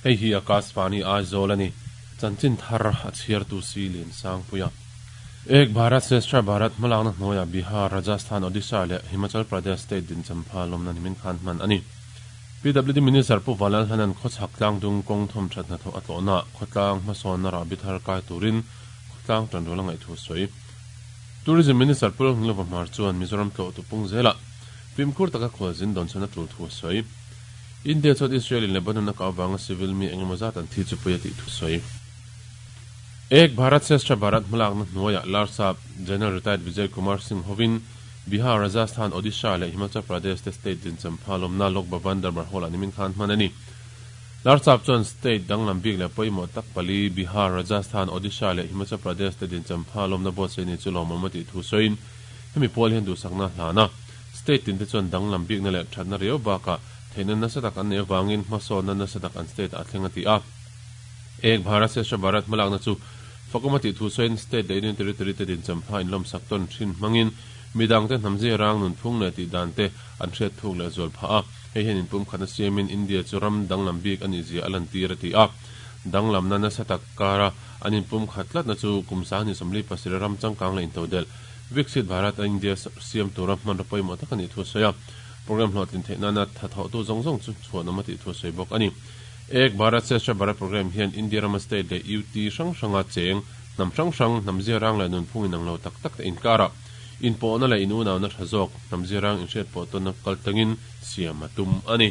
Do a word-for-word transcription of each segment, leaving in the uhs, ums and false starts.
Hei hi Akashvani Aizawl ani. Chanchin thar a chhiartu si Lian Sangpuia. Ek Bharat Shreshtha Bharat hmalakna hnuaiah Bihar, Rajasthan, Odisha leh Himachal Pradesh state din champha lawmna nimin khan hman a ni. P W D Minister Pu Vanlalhlanan khawchhak tlangdung kawng thawm that hnathawh a tlawhna khawtlang hmasawnna rahbi thar kai turin khawtlang tanrual a ngaih thu sawi. Tourism Minister Pu Lalngilova Hmar chuan Mizoram tlawh tu pung zelah fimkhur taka khualzin dawn chhan a tul thu a sawi. India chuan Israel in Lebanon a kah avanga civil mi engemaw zat an thi chu pawi a tih thu sawi. Ek Bharat Shreshtha Bharat hmalakna hnuaiah Larsap General Retired Vijay Kumar Singh hovin Bihar, Rajasthan, Odisha leh Himachal Pradesh te state din champha lawmna Lok Bhavan Darbar Hall ah nimin khan hman a ni. Larsap chuan state danglam bik leh pawimawh tak pali Bihar, Rajasthan, Odisha leh Himachal Pradesh te din champha lawmna buatsaih ni chu lawmawm a tih thu sawiin hemi pual hian duhsakna hlana state tin te chuan danglam bikna leh thatna riau bakah theihna nasa tak an nei avangin hmasawnna nasa tak an state ah thleng a ti a. Ek Bharat Shreshtha Bharat hmalakna chu fakawm a tih thu sawiin state leh Union Territory te din champha inlawmsak tawn thin hmangin midang te hnam zia rang nunphung leh tih dan te an hriat thuk leh zual phah a, hei hian inpum khatna siamin India chu ram danglam bik a nih zia a lantir a ti a. Danglamna nasa tak kara an inpum khat tlatna chu kum sanghnih sawmli pasarih ram changkang leh intodelh Viksit Bharat a India siam tura hmanraw pawimawh tak a nih thu a sawi a. Program hlawhtlin theih nana tha thawhtu zawng zawng chu chhuanawm a tih thu a sawi bawk a ni. Ek Bharat Shreshtha Bharat program hian India rama state leh U T hrang hranga cheng hnam hrang hrang hnam zia rang leh nunphung inang lo tak tak te inkarah inpawhna leh inunauna tha zawk hnam zia rang inhriat pawh tawnna kal tlangin siam a tum a ni.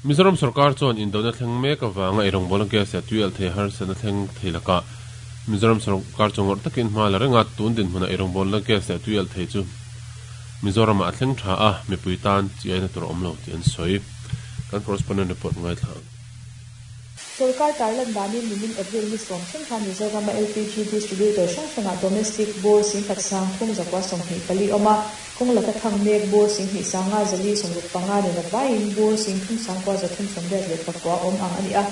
Mizoram sorkar chuan indona thleng mek avanga eirawngbawlna gas leh tui alh thei harsatna thleng thei lakah Mizoram sorkar chu ngawrh takin hma la renga tun dinhmunah eirawngbawlna gas leh tui alh thei chu Mizoramah a thleng tha a, mipui tan chi aina tur a awm lo tih an sawi. Kan correspondent report ngaithla ang. Sorkar tarlan danin nimin April ni sawm thleng khan Mizorama L P G distributor hrang hrangah domestic bur singkhat sang thum zakua sawmhnih pali awm a, kawng laka thang mek bur singhnih sanga zali sawmruk panga nen a vaiin bur singthum sangkua zathum sawmriat leh pakua awm ang a ni a.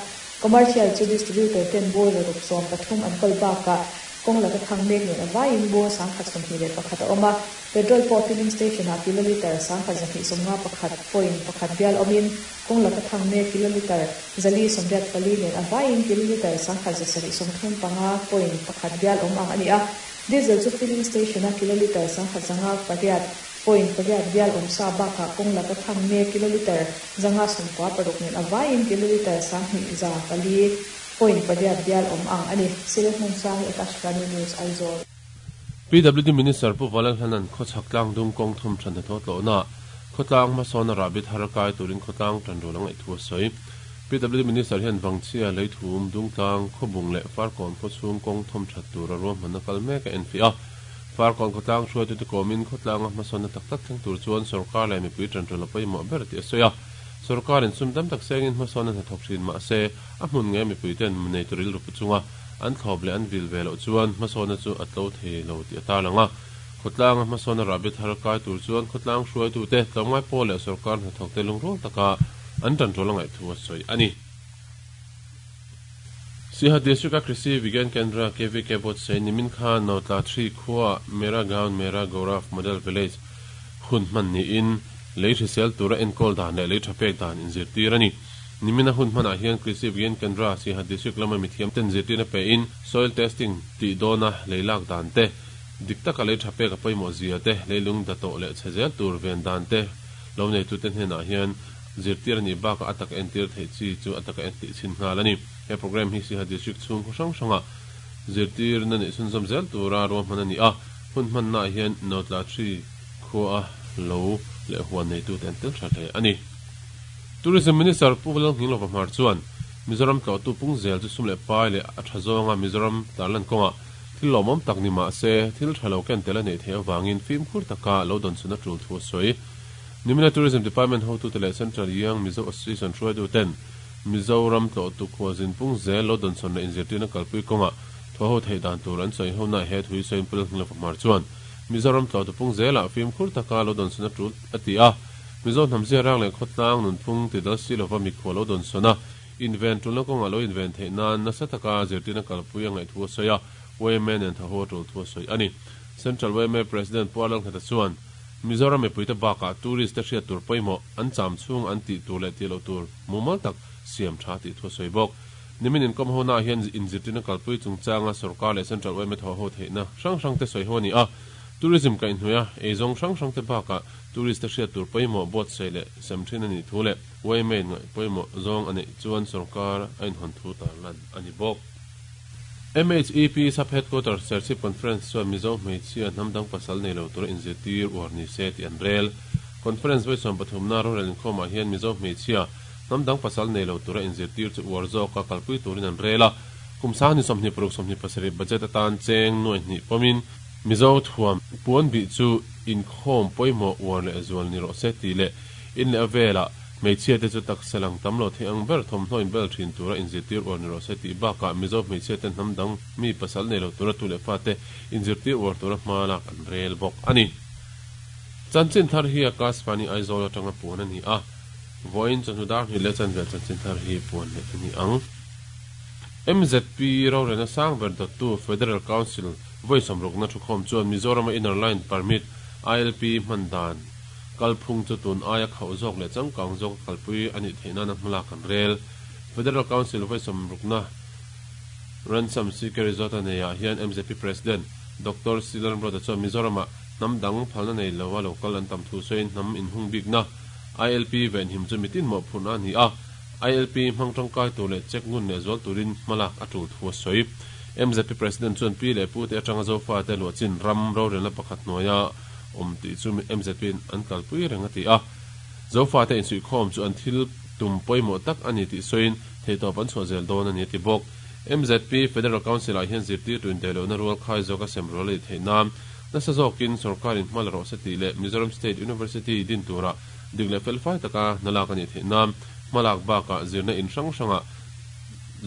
Commercial chu distributor ten bur zaruk sawm pathum an kawl bakah kawng laka thang mek nen a vaiin bur sangkhat sawmhnih leh pakhat a awm a. Petrol pawh filling station ah kiloliter sangkhat zahnih sawmnga pakhat point pakhat bial awmin kawng laka thang mek kiloliter zali sawmriat pali nen a vaiin kiloliter sangkhat zasarih sawmthum panga point pakhat bial awm ang a ni a. Diesel chu filling station a kiloliter sangkhat zanga pariat point pariat bial awm sa bakah kawng laka thang mek kiloliter zanga sawmkua paruk nen a vaiin kiloliter sanghnih za pali point pariat bial awm ang a ni. Silehmun Sangi, Akashvani News, Aizawl. P W D Minister Pu Vanlalhlanan khawchhak tlangdung kawng thawm that hnathawh tlawhna khawtlang hmasawnna rahbi thar kai turin khawtlang tanrual a ngaih thu a sawi. P W D Minister hian Vangchhia, Leithum, Dungtlang, Khawbung leh Farkawn khawchhung kawng thawm that tura ruahmanna kal mek a enfiah a. Farkawn khawtlang hruaitute kawmin khawtlanga hmasawnna tak tak thleng tur chuan sorkar leh mipui tanrual a pawimawh ber tih a sawi a. Sorkarin sum tam tak sengin hmasawnna hnathawk thin mah se a hmun nge mipui ten nei tur rilru pu chunga an thlawp leh an vil ve loh chuan hmasawnna chu a tlo thei lo tih a tarlang a. Khawtlanga hmasawnna rahbi thar kai tur chuan khawtlang hruaitute tlawmngai pawl leh sorkar hnathawk te lungrual taka an tanrual a ngaih thu a sawi a ni. Siaha District a Krishi Vigyan Kendra K V K buatsaih nimin khan Notla three khua Mera Gaon Mera Gaurav Model Village hun hman niin lei hrisel tura enkawl dan leh lei tha pek dan inzirtir a ni. Nimina hun hmanah hian Krishi Vigyan Kendra Siaha District lama mithiam ten zirtirna pe in soil testing tih dawna lei lak dan te, dik taka lei tha pek a pawimawh zia te, leilung datawh leh chhe zel tur ven dan te lo neitute hnenah hian zirtir a nih bakah a taka entir theih chi chu a taka entih chhin nghal a ni. He program hi Siaha District chhung khaw hrang hranga zirtirna neih chhunzawm zel tura ruahman a ni a. Hun hmannaah hian Notla three khua a lo leh huan neitute an tel tha hle a ni. Tourism Minister Pu Lalnghinglova Hmar chuan Mizoram tlawhtu pung zel chu sum leh pai leh a tha zawnga Mizoram tarlan kawngah thil lawmawm tak ni mah se thil tha lo ken tel a neih theih avangin fimkhur taka lo dawn chhun a tul thu a sawi. Nimina Tourism Department hotute leh Central Young Mizo Association hruaituten Mizoram tlawhtu khualzin pung zel lo dawn chhawn leh inzirtirna kalpui kawngah thaw ho theih dan tur an sawi hona he thui sawiin Pu Lalnghinglova Hmar chuan Mizoram tlawhtu pung zelah fimkhur taka lo dawn chhun a tul a ti a. Mizo hnam zia rang leh khawtlang nunphung tidal si lova mikhual lo dawn chhawn a inven tulna kawngah lo inven theih nan nasa taka zirtirna kalpui a ngaih thu a sawi a, Y M A nen thaw ho a tul thu a sawi a ni. Central Y M A President Pu Lalngheta chuan Mizoram mipuite bakah tourist te hriat tur pawimawh an cham chhung an tih tur leh tih loh tur mumal tak siam tha ti thu soi bawk nimin in kom ho na hian inzirtirna kalpui chungchanga sarkar leh central Y M A thaw ho theihna hrang hrang te soi ho ni a tourism ka inhnuia eizawng hrang hrang te bakah tourist te hriat tur pawimawh bawt sei leh sem thin ani thu leh Y M A in ngaih pawimawh zawng ani chuan sarkar a inhawn thu tarlan ani bawk. M H E P sub headquarters Serchhip Conference chuan Mizo hmeichhia hnamdang pasal nei lo tur inzirtir uar ni se tih an rel. Conference vawi sawm pathum na rorel inkhawmah hian Mizo hmeichhia hnamdang pasal nei lo tura inzirtir chu uar zawka kalpui turin an rel a. Kum sang ni sawmhnih paruk sawmhnih pasarih budget atan cheng nuai hnih pawmin Mizo thuam puan bih chu inkhawm pawimawh uar leh zual ni rawh se tih leh in leh a velah hmeichhia te chu taksa lang tam lo thei ang ber thawmhnaw inbel thin tura inzirtir uar ni rawh se tih bakah Mizo hmeichhia te hnamdang mi pasal nei lo tura tu leh fa te inzirtir uar tura hma lak an rel bawk ani. Chanchin thar hi Akashvani Aizawl atanga puan ani a vawiin chawhnu dar hnih leh chanvel chanchin thar hi puan leh ani ang. M Z P rorelna sang ber dawttu Federal Council vawi sawmrukna thukhawm chuan Mizoram Inner Line Permit I L P hman dan kalphung chu tun aia khauh zawk leh changkang zawk kalpui ani theihna na hmala kan rel. Federal Council vawi sawmrukna Ransom C K Resort aneia hian M Z P President Doctor Silan Broda chuan Mizoram hnamdang phalna nei lowa local an tam thu soin hnam inhung bikna I L P ven him chu mitin mawh phurna ani a. I L P hmang tangkai tur leh check ngun leh zual turin hmalak a tul thu a sawi. M Z P President chuan P leh Pu te atanga zofa te luah chin ram rorelna pakhat hnuaia awm tih chu M Z P an kalpui reng a ti a. Zofa te insuihkhawm chu an thil tum pawimawh tak ani tih sawiin theitawp an chhuah zel dawn ani a ti bawk. M Z P Federal Council ah hian zirtir tuin dailohna rual khai zawka sem rual a ni theih nan nasa zawkin sarkarin hma la rawh se tih leh Mizoram State University din tura dik leh felfai taka hnalak ani theih nan hmalak bakah zirna in hrang hranga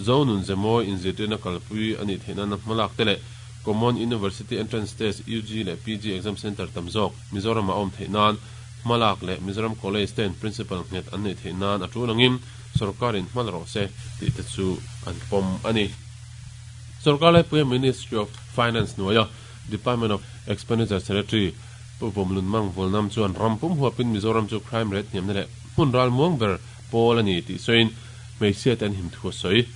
zonun zemawi inzirtirna kalpui ani theih nan hmalak te leh Common University Entrance Test U G leh P G Exam Center tam zawk Mizoram a awm theih nan hmalak leh Mizoram College ten Principal nghet an nei theih nan a tul angin sarkarin hma la rawh se tih te chu an pawm ani. Sarkar laipui Ministry of Finance hnuaia Department of Expenditure Secretary Pu Vawmlun Mang Volnam chuan rampum huapin Mizoram chu crime rate hniamna leh hmun ral muang ber pawl ani tih sawiin hmeichhia te an him thu a sawi.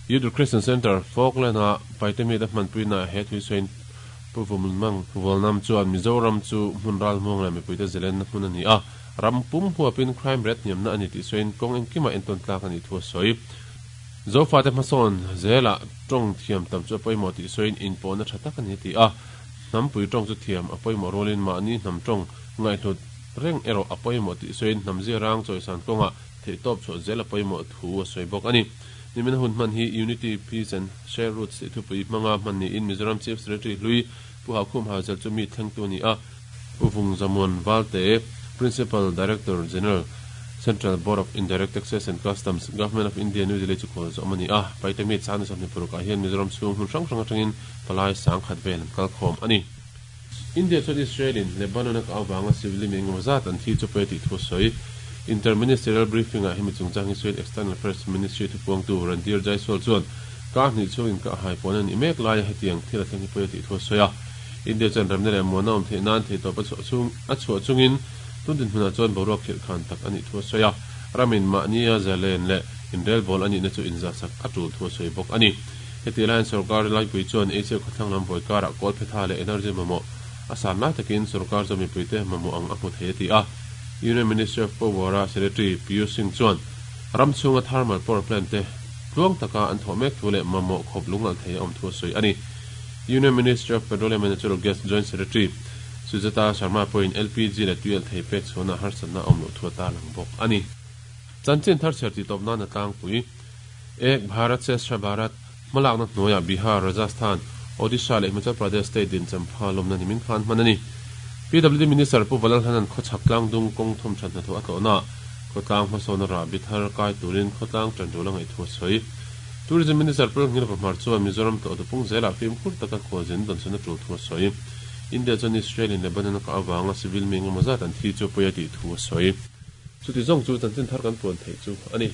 Youth Christian Center Falkland a Paitemi te hmanpuina he thui sawiin Pu Vawmlun Mang Volnam chuan Mizoram chu hmun ral muang leh mipui te zelenna hmun ani a. Rampum huapin crime rate hniamna ani tih sawiin kawng engkima entawn tlak ani thu a sawi. Zofa te hmasawn zela tawng thiam tam chu a pawimawh tih sawiin inpawhna tha tak ani ti a. Hnampui tawng chu thiam a pawimawh rualin mahni hnam tawng ngaihhlut reng erawh a pawimawh tih sawiin hnam zirang chawisan kawnga theihtawp chhuah zel a pawimawh thu a sawi bawk ani. Nimin hun hman hi Unity Peace and Share Roots tih thupui hmanga hman niin Mizoram Chief Secretary hlui Pu Haukhum Hauzel chu mi thlengtu ni a. Pu Vung Zamuan Valte Principal Director General Central Board of Indirect Taxes and Customs Government of India New Delhi chu khawl zawm ani a. Paitemi chana sawmhnih parukah hian Mizoram chhung hun hrang hrang atangin palai sang khat vel an kalkhawm ani. India chuan Israel in Lebanon a ka awanga civil mi engemaw zat an thi chu pe tih thu a sawi. Interministerial briefing ah hemi chungchang hi sawiin External Affairs Ministry thupuangtu Randhir Jaiswal chuan ka hnih chungin ka hai pawn ani mek laia hetiang thil a thleng hi pawi tih thu a sawi a. India chuan remna leh muana awm theih nan theitawp a chhuah chung a chhuah chungin tundin hmunah chuan boruak khirh khan tak ani thu a sawi a. Ramin mahnia zalen leh inrel bawl ani na chu inzahsak a tul thu a sawi bawk ani. Heti laiin sarkar laipui chuan Asia khawthlang lam vawi karah kawl phetha leh energy mamawh a san lai takin sarkar chu mipui te mamawh ang a hmu thei a ti a. Union Ministry of Power Secretary Piyush Singh chuan ram chhunga thermal power plant te tluang taka an thawh mek thu leh mamawh khawp lungal thei a awm thu a sawi ani. Union Ministry of Petroleum and Natural Gas Joint Secretary Sujata Sharma pawhin L P G leh tuial thei pek chhuahna harsatna awm loh thu a tarlang bawk ani. Chanchin thar chher tih tawp nan a tlangpui. Ek Bharat Shreshtha Bharat hmalakna hnuaia Bihar, Rajasthan, Odisha leh Himachal Pradesh state din champha lawmna nimin khan hman ani. P W D Minister Pu Valalhanan khawchhak tlangdung kawng thawm that hna thu a tlawhna khawtlang hmasawn ra bithar kai turin khawtlang tan tul a ngaih thu a sawi. Tourism Minister Pu Ngilva Hmar chuan Mizoram tlawh tupung zelah fimkhur taka khualzin dawnchuna tul thu a sawi. India chuan Israel in Lebanon ka awanga civil mi engemaw zat an thi chu pawi a tih thu a sawi. Chuti zawng chu chanchin thar kan puan theih chu ani.